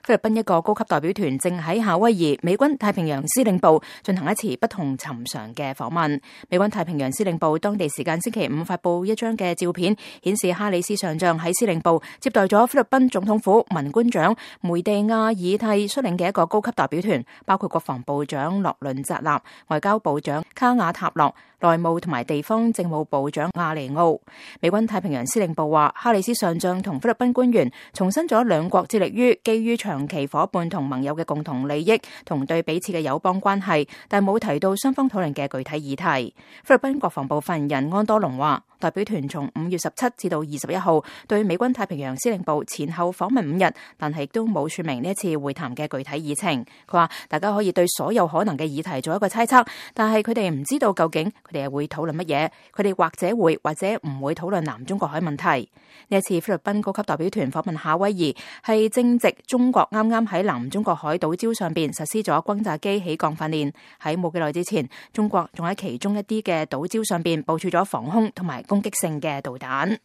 菲律賓一個高級代表團正喺夏威夷美軍太平洋司令部進行一次不同尋常嘅訪問。美軍太平洋司令部當地時間星期五發布一張嘅照片，顯示哈里斯上將喺司令部接待咗菲律賓總統府文官長梅地亞爾蒂率領嘅一個高級代表團，包括國防部長洛倫扎納、外交部長卡瓦塔諾、內務同埋地方政務部長亞尼奧。美軍太平洋司令部話，哈里斯上將同菲律賓官員重申咗兩國致力於基於長期夥伴同盟友嘅共同利益同對彼此嘅友邦關係，但冇提到雙方討論嘅具體議題。菲律賓國防部發言人安多龍話，代表團從5月17至到21號對美軍太平洋司令部前後訪問5日，但係亦都冇說明呢一次會談嘅具體議程。佢話大家可以對所有可能嘅議題做一個猜測，但係佢哋唔知道究竟佢哋係會討論乜嘢，佢哋或者會或者唔會討論南中國海問題。呢一次菲律賓高級代表團訪問夏威夷，係正值中國啱啱喺南中國海島礁上邊實施咗轟炸機起降訓練。喺冇幾耐之前，中國仲喺其中一啲嘅島礁上邊部署咗防空同埋攻擊性嘅導彈。